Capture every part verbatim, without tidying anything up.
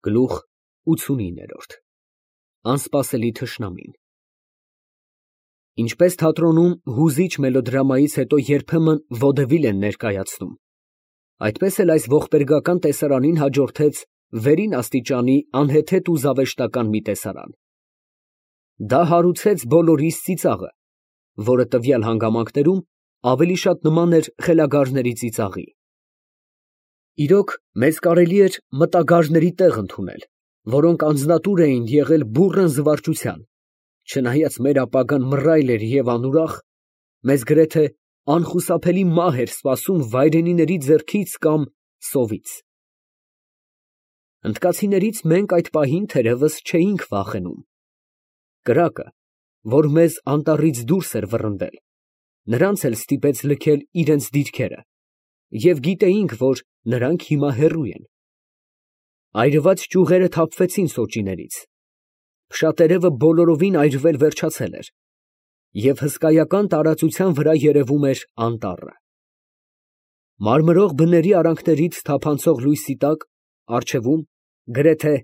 Գլուխ ութսունինը Անսպասելի թշնամին Ինչպես թատրոնում հուզիչ մելոդրամայից հետո երբեմն վոդևիլ են ներկայացնում, այդպես էլ այս ողբերգական տեսարանին հաջորդեց վերին աստիճանի անհեթեթ ու զավեշտական մի տեսարան. դա հարուցեց բոլորիս ծիծաղը, որը տվյալ հանգամանքներում ավելի շատ նման էր խելագարների ծիծաղի։ Իրոք, մեզ կարելի էր մտագարների տեղ ընդունել, որոնք անձնատուր էին եղել բուռն զվարճության, չնայած մեր ապագան մռայլ էր և անուրախ, մեզ գրեթե անխուսափելի մահ էր սպասում վայրենիների ձեռքից կամ սովից։ Հնդկացիներից մենք այդ պահին թերևս չէինք վախենում։ Կրակը, որ մեզ անտառից դուրս էր վռնդել, նրանց էլ ստիպեց լքել իրենց դիրքերը, և գիտեինք, որ նրանք հիմա հեռու են։ Այրված ճյուղերը թափվեցին սոճիներից, փշատերևը բոլորովին այրվել վերջացել էր, և հսկայական տարածության վրա երևում էր անտառը։ Մարմրող բների արանքներից թափանցող լույսի տակ առջևում գրեթե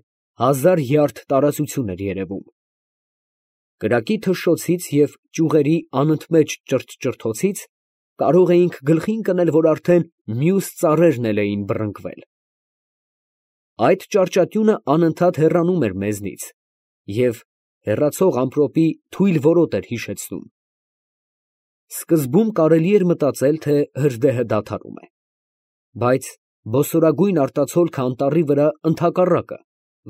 հազար յարդ տարածություն էր երևում։ Կրակի թշշոցից և ճյուղերի անընդմեջ ճրթչրթոցից կարող էինք գլխի ընկնել, որ արդեն մյուս ծառերն էլ էին բռնկվել։ Այդ ճարճատյունը անընդհատ հեռանում էր մեզնից և հեռացող ամպրոպի թույլ որոտ էր հիշեցնում։ Սկզբում կարելի էր մտածել, թե հրդեհը դադարում է, բայց բոսորագույն արտացոլքը անտառի վրա ընդհակառակը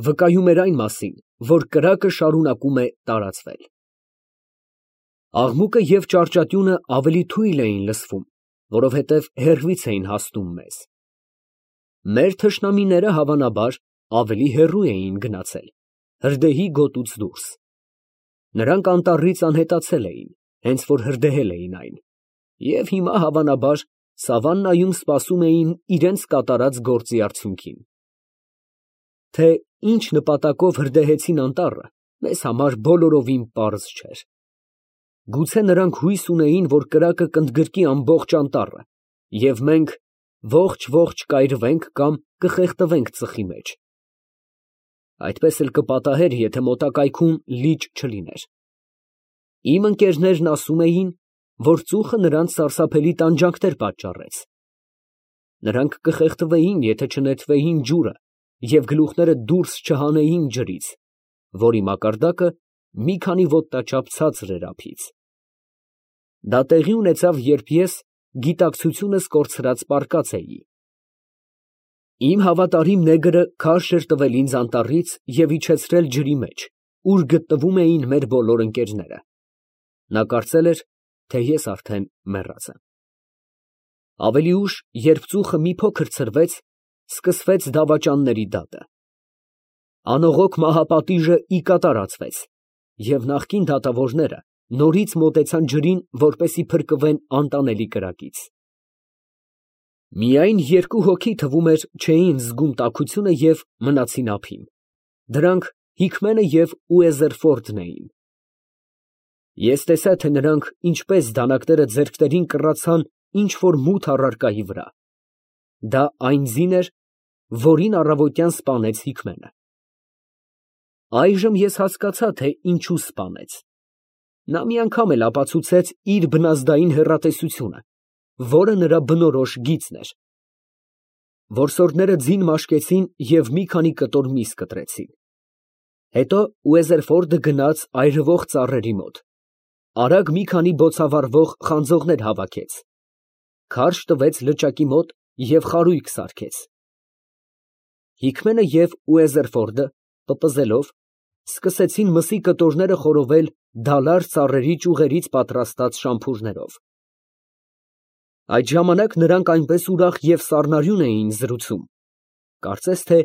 վկայում էր այն մասին, որ կրակը շարունակում է տարածվել։ Աղմուկը և ճարճատյունը ավելի թույլ էին լսվում, որովհետև հեռվից էին հասնում մեզ։ Մեր թշնամիները, հավանաբար, ավելի հեռու էին գնացել, հրդեհի գոտուց դուրս։ Նրանք անտառից անհետացել էին, հենց որ հրդեհել էին այն, և հիմա, հավանաբար, սավաննայում սպասում էին իրենց կատարած գործի արդյունքին։ Թե ինչ նպատակով հրդեհեցին անտառը, մեզ համար բոլորովին պարզ չէր։ Գուցե նրանք հույս ունեին, որ կրակը կընդգրկի ամբողջ անտառը, և մենք ողջ֊ողջ կայրվենք կամ կխեղդվենք ծխի մեջ։ Այդպես էլ կպատահեր, եթե մոտակայքում լիճ չլիներ։ Իմ ընկերներն ասում էին, որ ծուխը նրանց սարսափելի տանջանքներ պատճառեց։ Նրանք կխեղդվեին, եթե չնետվեին ջուրը և գլուխները դուրս չհանեին ջրից, որի մակարդակը մի քանի ոտնաչափ ցածր էր ափից։ Դա տեղի ունեցավ, երբ ես գիտակցությունս կորցրած պառկած էի։ Իմ հավատարիմ նեգրը քարշ էր տվել ինձ անտառից և իջեցրել ջրի մեջ, ուր գտնվում էին մեր բոլոր ընկերները։ Նա կարծել էր, թե ես արդեն մեռած եմ։ Ավելի ուշ, երբ ծուխը մի փոքր ցրվեց, սկսվեց դավաճանների դատը։ Անողոք մահապատիժը ի կատար ածվեց, և նախկին դատավորները նորից մոտեցան ջրին, որպեսզի փրկվեն անտանելի կրակից։ Միայն երկու հոգի, թվում էր, չէին զգում տաքությունը և մնացին ափին. դրանք Հիքմենը և Ուեզերֆորդն էին։ Ես տեսա, թե նրանք ինչպես դանակները ձեռքներին կռացան ինչ֊որ մութ առարկայի վրա։ Դա այն ձին էր, որին առավոտյան սպանեց Հիքմենը։ Այժմ ես հասկացա, թե ինչու սպանեց։ Նա մի անգամ էլ ապացուցեց իր բնազդային հեռատեսությունը, որը նրա բնորոշ գիծն էր։ Որսորդները ձին մաշկեցին և մի քանի կտոր միս կտրեցին։ Հետո Ուեզերֆորդը գնաց այրվող ծառերի մոտ, արագ մի քանի բոցավառվող խանձողներ հավաքեց, քարշ տվեց լճակի մոտ և խարույկ սարքեց։ Հիքմենը և Ուեզերֆորդը, պպզելով, սկսեցին մսի կտորները խորովել դալար ծառերի ճյուղերից պատրաստած շամփուրներով։ Այդ ժամանակ նրանք այնպես ուրախ և սառնարյուն էին զրուցում, կարծես թե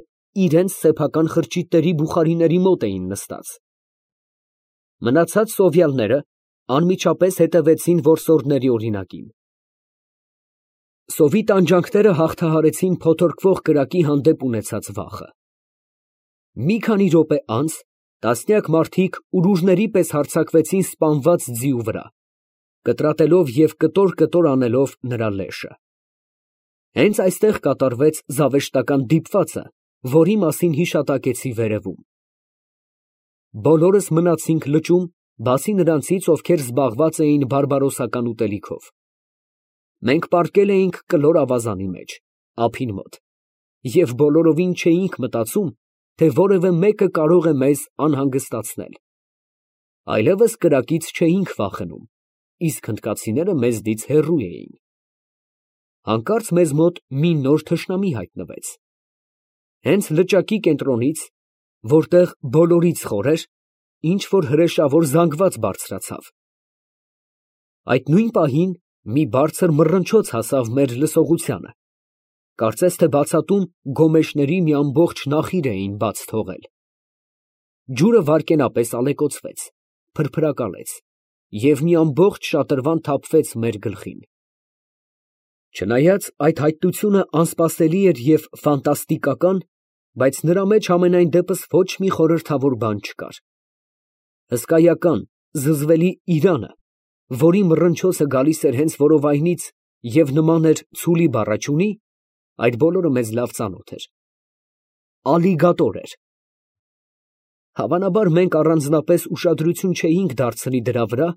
իրենց սեփական խրճիթների բուխարիների մոտ էին նստած։ Մնացած սովյալները անմիջապես հետևեցին որսորդների օրինակին։ Սովի տանջանքները հաղթահարեցին փոթորկվող կրակի հանդեպ ունեցած վախը։ Մի քանի րոպե անց տասնյակ մարդիկ ուրուժների պես հարձակվեցին սպանված ձիու վրա, կտրատելով և կտոր֊կտոր անելով նրա լեշը։ Հենց այստեղ կատարվեց զավեշտական դիպվածը, որի մասին հիշատակեցի վերևում։ Բոլորս մնացինք լճում, բացի նրանցից, ովքեր զբաղված էին բարբարոսական ուտելիքով։ Մենք պառկել էինք կլոր ավազանի մեջ, ափին մոտ, և բոլորովին չէինք մտածում, թե որևէ մեկը կարող է մեզ անհանգստացնել։ Այլևս կրակից չէինք վախենում, իսկ հնդկացիները մեզնից հեռու էին։ Հանկարծ մեզ մոտ մի նոր թշնամի հայտնվեց։ Հենց լճակի կենտրոնից, որտեղ բոլորից խոր էր, ինչ֊որ հրեշավոր զանգված բարձրացավ։ Այդ նույն պահին մի բարձր մռնչոց հասավ մեր լսողությանը, կարծես թե բացատում գոմեշների մի ամբողջ նախիր էին բաց թողել։ Ջուրը վայրկենապես ալեկոծվեց, փրփրակալեց, և մի ամբողջ շատրվան թափվեց մեր գլխին։ Չնայած այդ հայտնությունը անսպասելի էր և ֆանտաստիկական, բայց նրա մեջ համենայն դեպս ոչ մի խորհրդավոր բան չկար։ Հսկայական, զզվելի իրանը, որի մռնչոցը գալիս էր հենց որովայնից և նման էր ցուլի բառաչունի, այդ բոլորը մեզ լավ ծանոթ էր։ Ալիգատոր էր։ Հավանաբար մենք առանձնապես ուշադրություն չէինք դարձնի դրա վրա,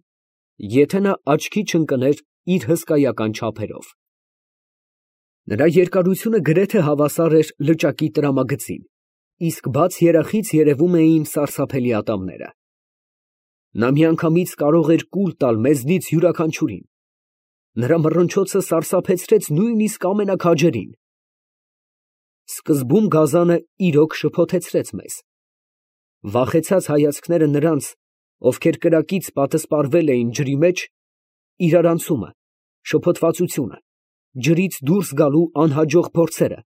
եթե նա աչքի չընկներ իր հսկայական չափերով։ Նրա երկարությունը գրեթե հավասար էր լճակի տրամագծին, իսկ բաց երախից երևում էին սարսափելի ատամները։ Նա միանգամից կարող էր կուլ տալ մեզնից յուրաքանչյուրին։ Նրա մռնչոցը սարսափեցրեց նույնիսկ ամենաքաջերին։ Սկզբում գազանը իրոք շփոթեցրեց մեզ։ Վախեցած հայացքները նրանց, ովքեր կրակից պատսպարվել էին ջրի մեջ, իրարանցումը, շփոթվածությունը, ջրից դուրս գալու անհաջող փորձերը,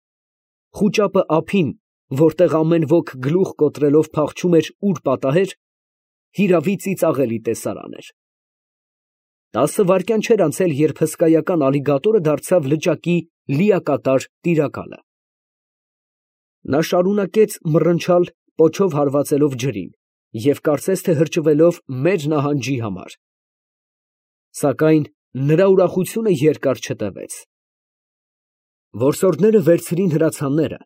խուճապը ափին, որտեղ ամեն ոք գլուխ կոտրելով փախչում էր ուր պատահեր, հիրավի ծիծաղելի տեսարան էր։ Տասը վայրկյան չէր անցել, երբ հսկայական ալիգատորը դարձավ լճակի լիակատար տիրակալը։ Նա շարունակեց մռնչալ, պոչով հարվածելով ջրին և կարծես թե հրճվելով մեր նահանջի համար։ Սակայն նրա ուրախությունը երկար չտևեց։ Որսորդները վերցրին հրացանները,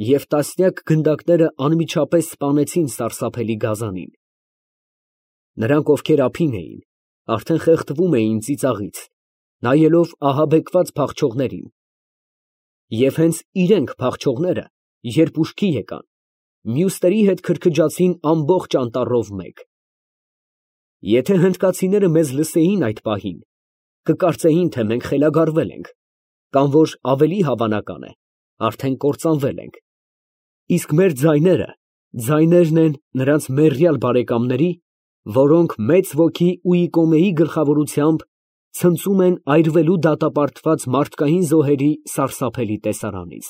և տասնյակ գնդակները անմիջապես սպանեցին սարսափելի գազանին։ Նրանք, ովքեր ափին էին, արդեն խեղդվում էին ծիծաղից, նայելով ահաբեկված փախչողներին, և հենց իրենք փախչողները, երբ ուշքի եկան, մյուսների հետ քրքջացին ամբողջ անտառով մեկ։ Եթե հնդկացիները մեզ լսեին այդ պահին, կկարծեին, թե մենք խելագարվել ենք, կամ որ ավելի հավանական է, արդեն կործանվել ենք, իսկ մեր ձայները ձայներն են նրանց մեռյալ բարեկամների, որոնք մեծ ոգի ու Իկոմեի գլխավորությամբ ցնծում են այրվելու դատապարտված մարդկային զոհերի սարսափելի տեսարանից։